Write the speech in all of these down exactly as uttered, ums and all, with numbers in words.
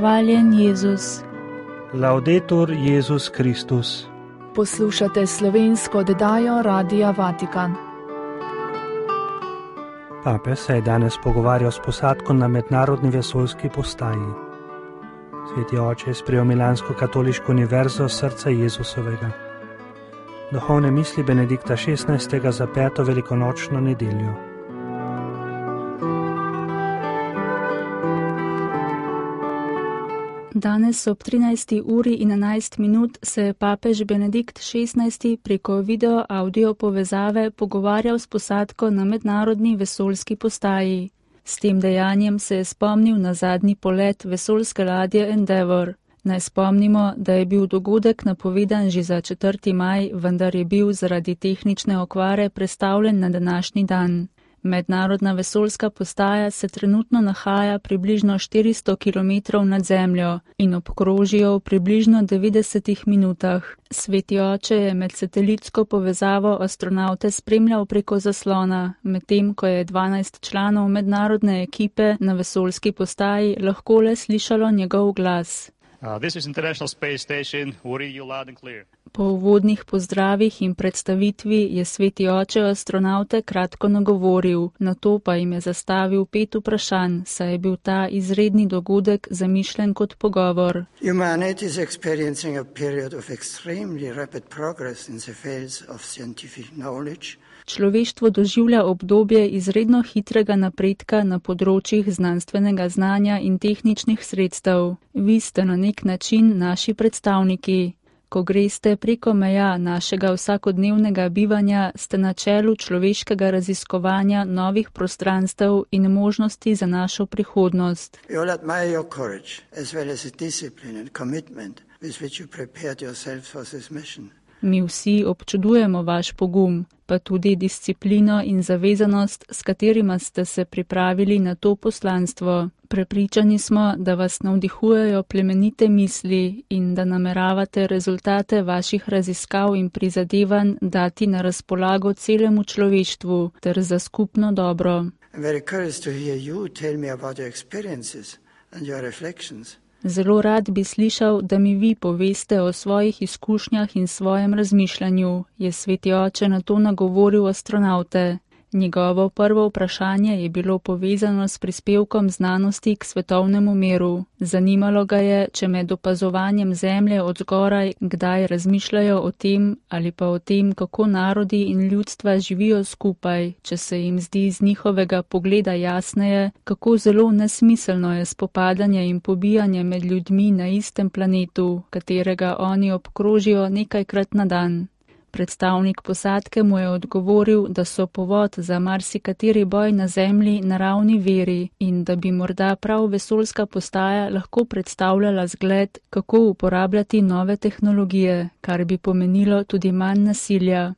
Hvaljen Jezus. Laudetur Jezus Kristus. Poslušate slovensko oddajo Radia Vatikan. Papež se je danes pogovarjal s posadko na mednarodni vesoljski postaji. Sveti oče je sprejel milansko katoliško univerzo srca Jezusovega. Duhovne misli Benedikta šestnajstega za peto velikonočno nedeljo. Danes ob trinajsti uri in enajst minut se je papež Benedikt šestnajsti preko video audio povezave pogovarjal s posadko na mednarodni vesoljski postaji. S tem dejanjem se je spomnil na zadnji polet vesoljske ladje Endeavour. Naj spomnimo, da je bil dogodek napovedan že za četrti maj, vendar je bil zaradi tehnične okvare prestavljen na današnji dan. Mednarodna vesoljska postaja se trenutno nahaja približno štiristo kilometrov nad zemljo in obkroži jo v približno devetdesetih minutah. Sveti oče je med satelitsko povezavo astronavte spremljal preko zaslona, medtem ko je dvanajst članov mednarodne ekipe na vesoljski postaji lahko le slišalo njegov glas. Uh, this is International Space Station. We read you loud and clear. Po uvodnih pozdravih in predstavitvi je sveti oče astronavte kratko nagovoril, nato pa jim je zastavil pet vprašanj, saj je bil ta izredni dogodek zamišljen kot pogovor. Humanity is experiencing a period of extremely rapid progress in the fields of scientific knowledge. Človeštvo doživlja obdobje izredno hitrega napredka na področjih znanstvenega znanja in tehničnih sredstev. Vi ste na nek način naši predstavniki. Ko greste preko meja našega vsakodnevnega bivanja, ste na čelu človeškega raziskovanja novih prostranstev in možnosti za našo prihodnost. We all admire your courage, as well as the discipline and commitment with which you prepared yourself for this mission. Mi vsi občudujemo vaš pogum, pa tudi disciplino in zavezanost, s katerima ste se pripravili na to poslanstvo. Prepričani smo, da vas navdihujejo plemenite misli in da nameravate rezultate vaših raziskav in prizadevanj dati na razpolago celemu človeštvu ter za skupno dobro. I'm very curious to hear you tell me about your experiences and your reflections. Zelo rad bi slišal, da mi vi poveste o svojih izkušnjah in svojem razmišljanju, je sveti oče na to nagovoril astronavte. Njegovo prvo vprašanje je bilo povezano s prispevkom znanosti k svetovnemu miru. Zanimalo ga je, če med opazovanjem zemlje od zgoraj kdaj razmišljajo o tem ali pa o tem, kako narodi in ljudstva živijo skupaj, če se jim zdi z njihovega pogleda jasneje, kako zelo nesmiselno je spopadanje in pobijanje med ljudmi na istem planetu, katerega oni obkrožijo nekajkrat na dan. Predstavnik posadke mu je odgovoril, da so povod za marsikateri boj na zemlji naravni viri in da bi morda prav vesoljska postaja lahko predstavljala zgled, kako uporabljati nove tehnologije, kar bi pomenilo tudi manj nasilja.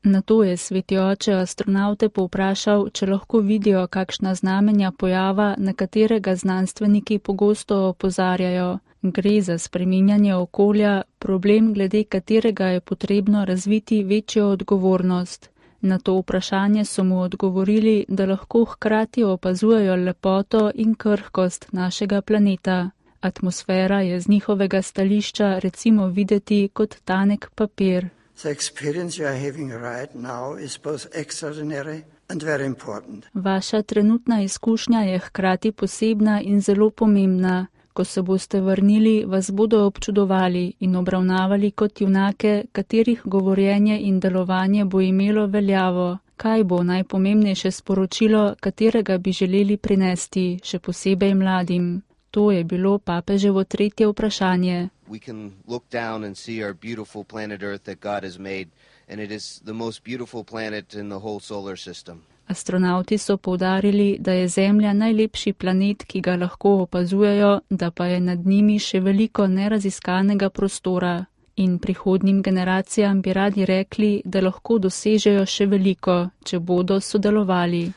Nato je sveti oče astronavte povprašal, če lahko vidijo kakšna znamenja pojava, na katerega znanstveniki pogosto opozarjajo. Gre za spreminjanje okolja, problem, glede katerega je potrebno razviti večjo odgovornost. Na to vprašanje so mu odgovorili, da lahko hkrati opazujejo lepoto in krhkost našega planeta. Atmosfera je z njihovega stališča recimo videti kot tanek papir. The experience you are having right now is both extraordinary and very important. Vaša trenutna izkušnja je hkrati posebna in zelo pomembna. Ko se boste vrnili, vas bodo občudovali in obravnavali kot junake, katerih govorjenje in delovanje bo imelo veljavo. Kaj bo najpomembnejše sporočilo, katerega bi želeli prinesti, še posebej mladim? To je bilo papeževo tretje vprašanje. We can look down and see our beautiful planet Earth that God has made, and it is the most beautiful planet in the whole solar system. Astronauti so poudarili, da je Zemlja najlepši planet, ki ga lahko opazujejo, da pa je nad njimi še veliko neraziskanega prostora. In prihodnjim generacijam bi radi rekli, da lahko dosežejo še veliko, če bodo sodelovali.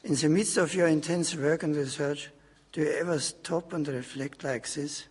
In the midst of your intense work and research, do you ever stop and reflect like this?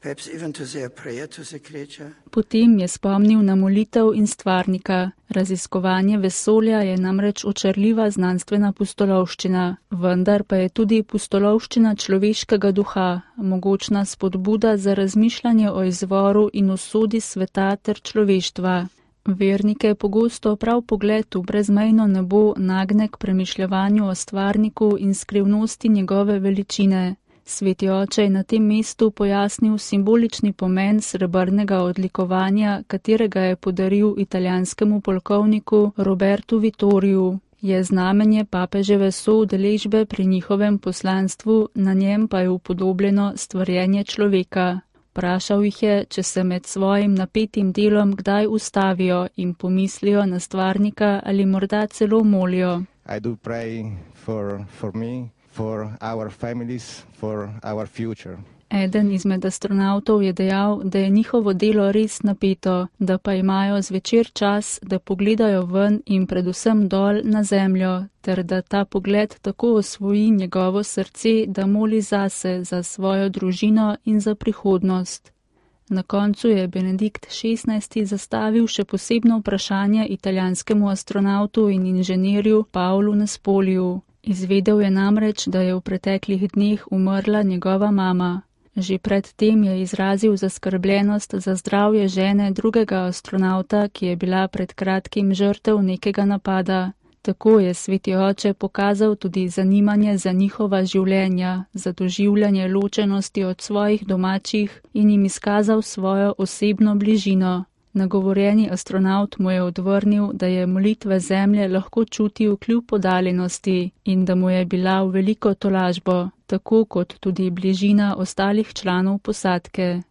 perhaps even to say a prayer to the creature. Potem je spomnil na molitev in stvarnika. Raziskovanje vesolja je namreč očarljiva znanstvena pustolovščina, vendar pa je tudi pustolovščina človeškega duha, mogočna spodbuda za razmišljanje o izvoru in usodi sveta ter človeštva. Vernike pogosto prav pogled v brezmejno nebo nagne k premišljevanju o stvarniku in skrivnosti njegove veličine. Sveti oče je na tem mestu pojasnil simbolični pomen srebrnega odlikovanja, katerega je podaril italijanskemu polkovniku Robertu Vittoriju. Je znamenje papeževe soudeležbe pri njihovem poslanstvu, na njem pa je upodobljeno stvarjenje človeka. Vprašal jih je, če se med svojim napetim delom kdaj ustavijo in pomislijo na stvarnika ali morda celo molijo. I do pray for, for me, for our families, for our future. Eden izmed astronavtov je dejal, da je njihovo delo res napeto, da pa imajo zvečer čas, da pogledajo ven in predvsem dol na zemljo, ter da ta pogled tako osvoji njegovo srce, da moli zase, za svojo družino in za prihodnost. Na koncu je Benedikt šestnajsti zastavil še posebno vprašanje italijanskemu astronavtu in inženirju Paolu Nespoliju. Izvedel je namreč, da je v preteklih dneh umrla njegova mama. Že pred tem je izrazil zaskrbljenost za zdravje žene drugega astronavta, ki je bila pred kratkim žrtev nekega napada. Tako je sveti oče pokazal tudi zanimanje za njihova življenja, za doživljanje ločenosti od svojih domačih in jim izkazal svojo osebno bližino. Nagovorjeni astronavt mu je odvrnil, da je molitve zemlje lahko čutil kljub oddaljenosti in da mu je bila v veliko tolažbo, tako kot tudi bližina ostalih članov posadke.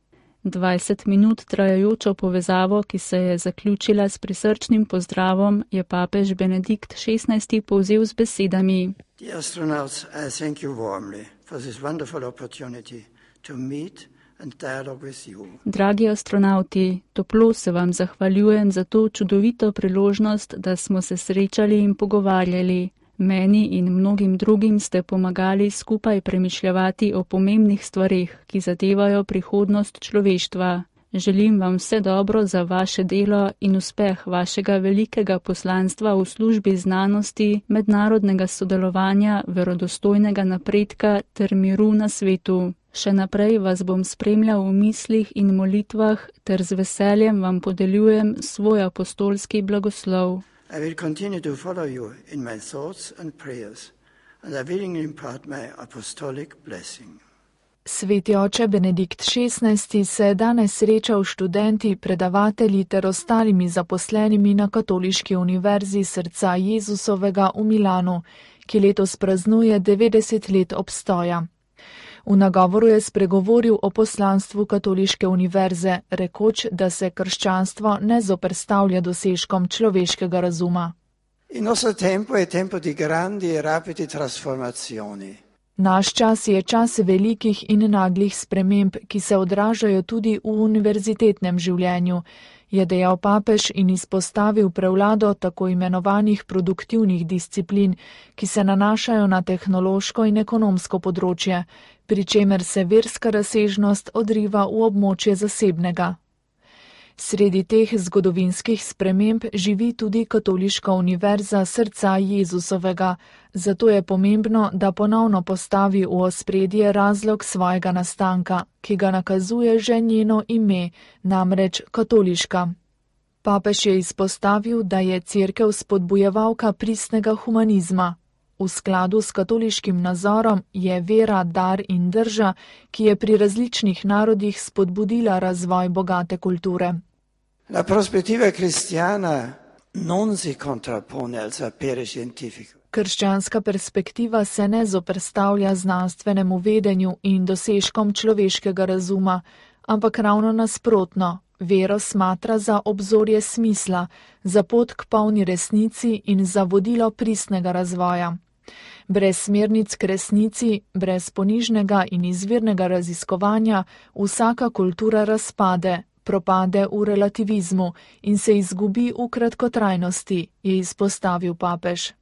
dvajset minut trajajočo povezavo, ki se je zaključila s prisrčnim pozdravom, je papež Benedikt šestnajsti povzel z besedami. Dear astronauts, I thank you warmly for this wonderful opportunity to meet and dialogue with you. Dragi astronauti, toplo se vam zahvaljujem za to čudovito priložnost, da smo se srečali in pogovarjali. Meni in mnogim drugim ste pomagali skupaj premišljati o pomembnih stvarih, ki zadevajo prihodnost človeštva. Želim vam vse dobro za vaše delo in uspeh vašega velikega poslanstva v službi znanosti, mednarodnega sodelovanja, verodostojnega napredka ter miru na svetu. Še naprej vas bom spremljal v mislih in molitvah ter z veseljem vam podeljujem svoj apostolski blagoslov. I will continue to follow you in my thoughts and prayers, and I willingly impart my apostolic blessing. Sveti oče Benedikt šestnajsti se je danes srečal s študenti, predavatelji ter ostalimi zaposlenimi na Katoliški univerzi Srca Jezusovega v Milanu, ki letos praznuje devetdeset let obstoja. V nagovoru je spregovoril o poslanstvu Katoliške univerze, rekoč, da se krščanstvo ne zoperstavlja dosežkom človeškega razuma. Il nostro tempo è tempo di grandi e rapidi trasformazioni. Naš čas je čas velikih in naglih sprememb, ki se odražajo tudi v univerzitetnem življenju, je dejal papež in izpostavil prevlado tako imenovanih produktivnih disciplin, ki se nanašajo na tehnološko in ekonomsko področje, pri čemer se verska razsežnost odriva v območje zasebnega. Sredi teh zgodovinskih sprememb živi tudi Katoliška univerza Srca Jezusovega, zato je pomembno, da ponovno postavi v ospredje razlog svojega nastanka, ki ga nakazuje že njeno ime, namreč katoliška. Papež je izpostavil, da je cerkev spodbujevalka pristnega humanizma. V skladu s katoliškim nazorom je vera, dar in drža, ki je pri različnih narodih spodbudila razvoj bogate kulture. La prospettiva cristiana non si contrappone al sapere scientifico. Krščanska perspektiva se ne zoperstavlja znanstvenemu vedenju in dosežkom človeškega razuma, ampak ravno nasprotno, vero smatra za obzorje smisla, za pot k polni resnici in za vodilo pristnega razvoja. Brez smernic k resnici, brez ponižnega in izvirnega raziskovanja, vsaka kultura razpade, propade v relativizmu in se izgubi v kratkotrajnosti, je izpostavil papež.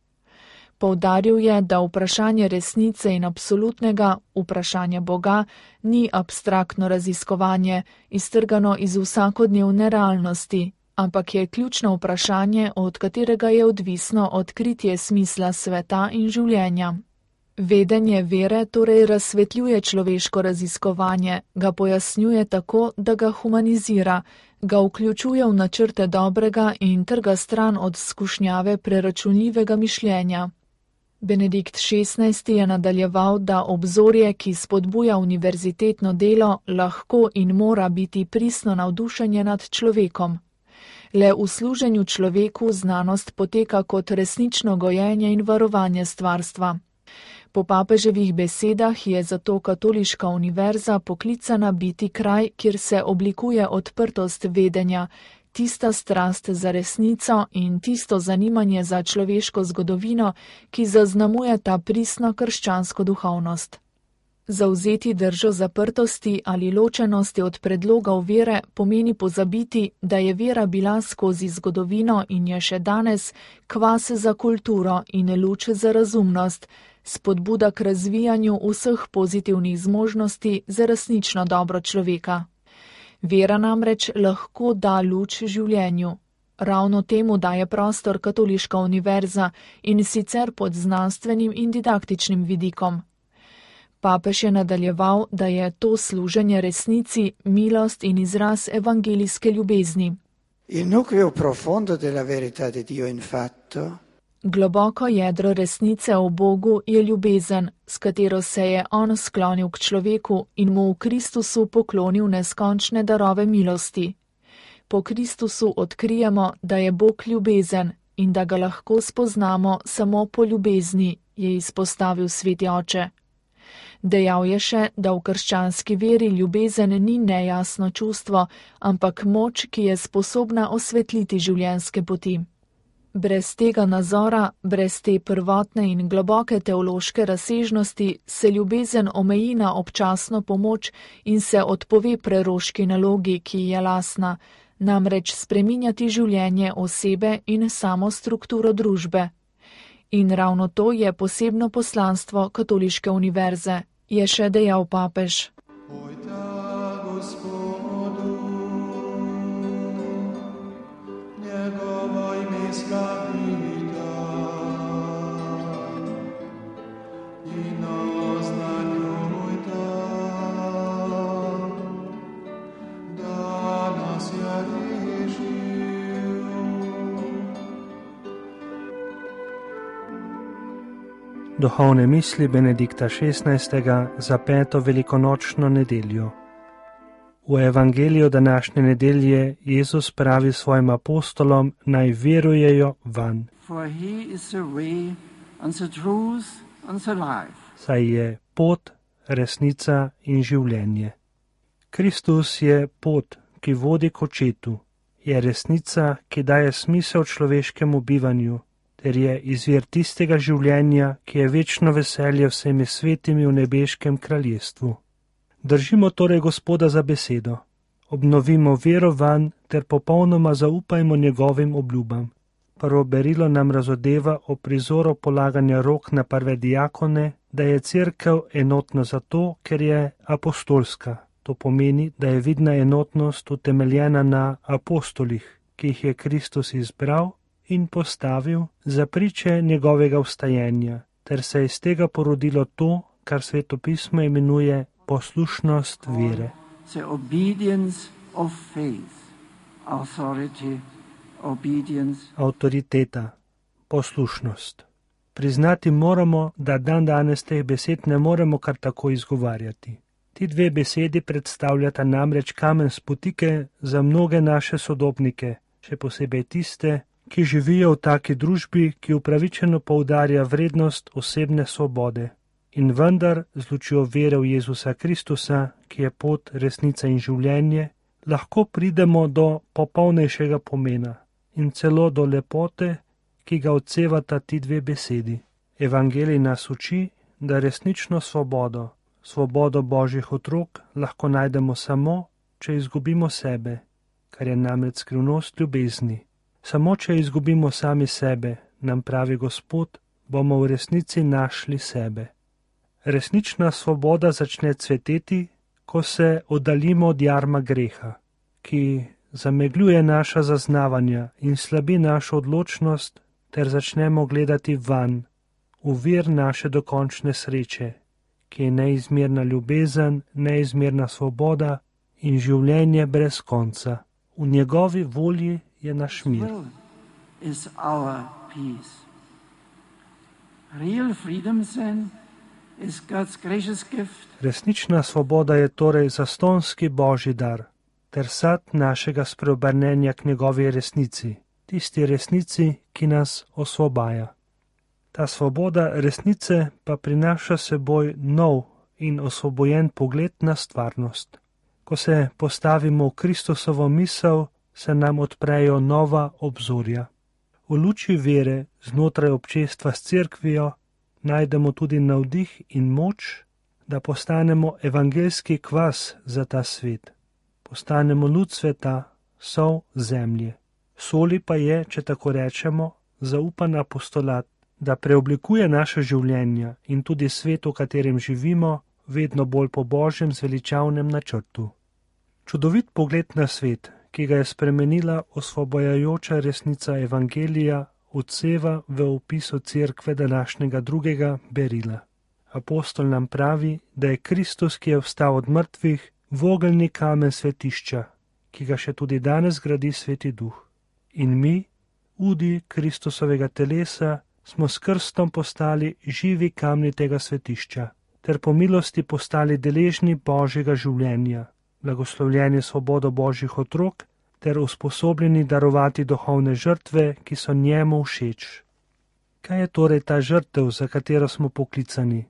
Poudaril je, da vprašanje resnice in absolutnega vprašanja Boga ni abstraktno raziskovanje, iztrgano iz vsakodnevne realnosti, ampak je ključno vprašanje, od katerega je odvisno odkritje smisla sveta in življenja. Vedenje vere torej razsvetljuje človeško raziskovanje, ga pojasnjuje tako, da ga humanizira, ga vključuje v načrte dobrega in trga stran od skušnjave preračunljivega mišljenja. Benedikt šestnajsti je nadaljeval, da obzorje, ki spodbuja univerzitetno delo, lahko in mora biti pristno navdušenje nad človekom. Le v služenju človeku znanost poteka kot resnično gojenje in varovanje stvarstva. Po papeževih besedah je zato katoliška univerza poklicana biti kraj, kjer se oblikuje odprtost vedenja, tista strast za resnico in tisto zanimanje za človeško zgodovino, ki zaznamuje ta pristno krščansko duhovnost. Zavzeti držo zaprtosti ali ločenosti od predlogov vere pomeni pozabiti, da je vera bila skozi zgodovino in je še danes kvas za kulturo in luč za razumnost, spodbuda k razvijanju vseh pozitivnih zmožnosti za resnično dobro človeka. Vera namreč lahko da luč življenju. Ravno temu daje prostor katoliška univerza in sicer pod znanstvenim in didaktičnim vidikom. Papež je nadaljeval, da je to služenje resnici, milost in izraz evangelijske ljubezni. Il nucleo profondo della verità di Dio in fatto Globoko jedro resnice o Bogu je ljubezen, s katero se je on sklonil k človeku in mu v Kristusu poklonil neskončne darove milosti. Po Kristusu odkrijemo, da je Bog ljubezen in da ga lahko spoznamo samo po ljubezni, je izpostavil sveti oče. Dejal je še, da v krščanski veri ljubezen ni nejasno čustvo, ampak moč, ki je sposobna osvetliti življenjske poti. Brez tega nazora, brez te prvotne in globoke teološke razsežnosti se ljubezen omeji na občasno pomoč in se odpove preroški nalogi, ki ji je lasna, namreč spreminjati življenje osebe in samo strukturo družbe. In ravno to je posebno poslanstvo katoliške univerze, je še dejal papež. Duhovne misli Benedikta šestnajstega za peto velikonočno nedeljo. V evangeliju današnje nedelje Jezus pravi svojim apostolom, naj verujejo vanj. Saj je pot, resnica in življenje. Kristus je pot, ki vodi k očetu, je resnica, ki daje smisel človeškemu bivanju, ter je izvir tistega življenja, ki je večno veselje vsemi svetimi v nebeškem kraljestvu. Držimo torej Gospoda za besedo, obnovimo vero vanj ter popolnoma zaupajmo njegovim obljubam. Prvo berilo nam razodeva o prizoru polaganja rok na prve diakone, da je cerkev enotna zato, ker je apostolska. To pomeni, da je vidna enotnost utemeljena na apostolih, ki jih je Kristus izbral in postavil za priče njegovega vstajenja, ter se je iz tega porodilo to, kar Sveto pismo imenuje poslušnost vere. The obedience of faith, authority, obedience. Avtoriteta, poslušnost. Priznati moramo, da dan danes teh besed ne moremo kar tako izgovarjati. Ti dve besedi predstavljata namreč kamen spotike za mnoge naše sodobnike, še posebej tiste, ki živijo v taki družbi, ki upravičeno poudarja vrednost osebne svobode. In vendar, z lučjo vere v Jezusa Kristusa, ki je pot, resnica in življenje, lahko pridemo do popolnejšega pomena in celo do lepote, ki ga odsevata ti dve besedi. Evangelij nas uči, da resnično svobodo, svobodo Božjih otrok lahko najdemo samo, če izgubimo sebe, kar je namreč skrivnost ljubezni. Samo, če izgubimo sami sebe, nam pravi Gospod, bomo v resnici našli sebe. Resnična svoboda začne cveteti, ko se oddaljimo od jarma greha, ki zamegljuje naša zaznavanja in slabi našo odločnost, ter začnemo gledati vanj, v vir naše dokončne sreče, ki je neizmerna ljubezen, neizmerna svoboda in življenje brez konca. V njegovi volji je naš mir. Resnična svoboda je torej zastonski božji dar, ter sad našega spreobrnenja k njegovi resnici, tisti resnici, ki nas osvobaja. Ta svoboda resnice pa prinaša seboj nov in osvobojen pogled na stvarnost. Ko se postavimo v Kristusovo misel, se nam odprejo nova obzorja. V luči vere znotraj občestva s cerkvijo najdemo tudi navdih in moč, da postanemo evangeljski kvas za ta svet. Postanemo luč sveta, sol zemlje. Soli pa je, če tako rečemo, zaupan apostolat, da preoblikuje naše življenja in tudi svet, v katerem živimo, vedno bolj po Božjem zveličavnem načrtu. Čudovit pogled na svet, ki ga je spremenila osvobojajoča resnica evangelija, odseva v opisu cerkve današnjega drugega berila. Apostol nam pravi, da je Kristus, ki je vstal od mrtvih, vogelni kamen svetišča, ki ga še tudi danes gradi Sveti Duh. In mi, udi Kristusovega telesa, smo s krstom postali živi kamni tega svetišča, ter po milosti postali deležni Božjega življenja, blagoslovljeni svobodo Božjih otrok, ter usposobljeni darovati duhovne žrtve, ki so njemu všeč. Kaj je torej ta žrtev, za katero smo poklicani?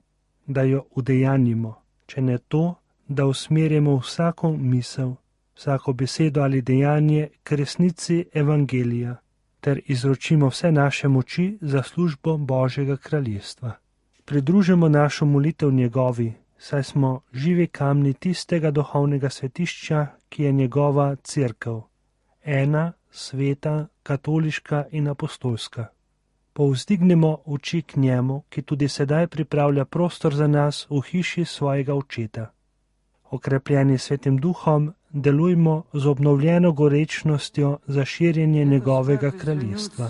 Da jo udejanjimo, če ne to, da usmerjamo vsako misel, vsako besedo ali dejanje k resnici evangelija, ter izročimo vse naše moči za službo Božjega kraljestva. Pridružimo našo molitev njegovi, saj smo živi kamni tistega duhovnega svetišča, ki je njegova cerkev, ena, sveta, katoliška in apostolska. Povzdignemo oči k njemu, ki tudi sedaj pripravlja prostor za nas v hiši svojega očeta. Okrepljeni Svetim Duhom, delujmo z obnovljeno gorečnostjo za širjenje njegovega kraljestva.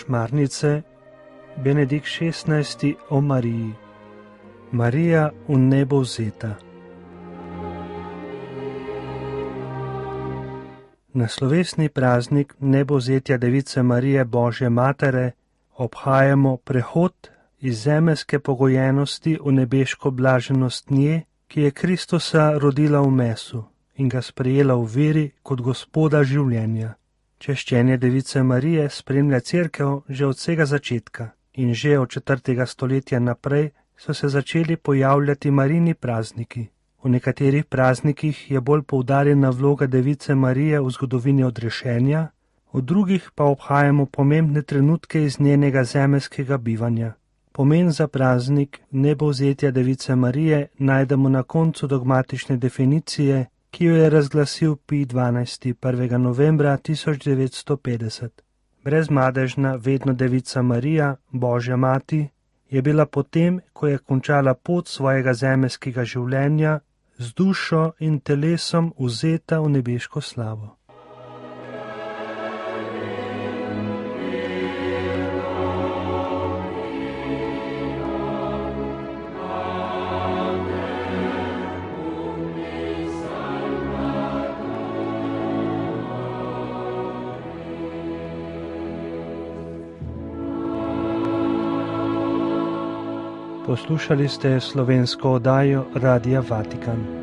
Šmarnice, Benedikt šestnajsti o Mariji. Marija v nebo vzeta. Na slovesni praznik nebovzetja Device Marije Božje Matere obhajamo prehod iz zemeljske pogojenosti v nebeško blaženost nje, ki je Kristusa rodila v mesu in ga sprejela v veri kot Gospoda življenja. Češčenje Device Marije spremlja cerkev že od vsega začetka in že od četrtega stoletja naprej so se začeli pojavljati Marijini prazniki. V nekaterih praznikih je bolj poudarjena vloga Device Marije v zgodovini odrešenja, v drugih pa obhajamo pomembne trenutke iz njenega zemeljskega bivanja. Pomen za praznik nebovzetja Device Marije najdemo na koncu dogmatične definicije, ki jo je razglasil Pij dvanajsti prvega novembra tisoč devetsto petdeset. Brezmadežna vedno Devica Marija, Božja mati, je bila potem, ko je končala pot svojega zemeljskega življenja, z dušo in telesom vzeta v nebeško slavo. Poslušali ste slovensko oddajo Radia Vatikan.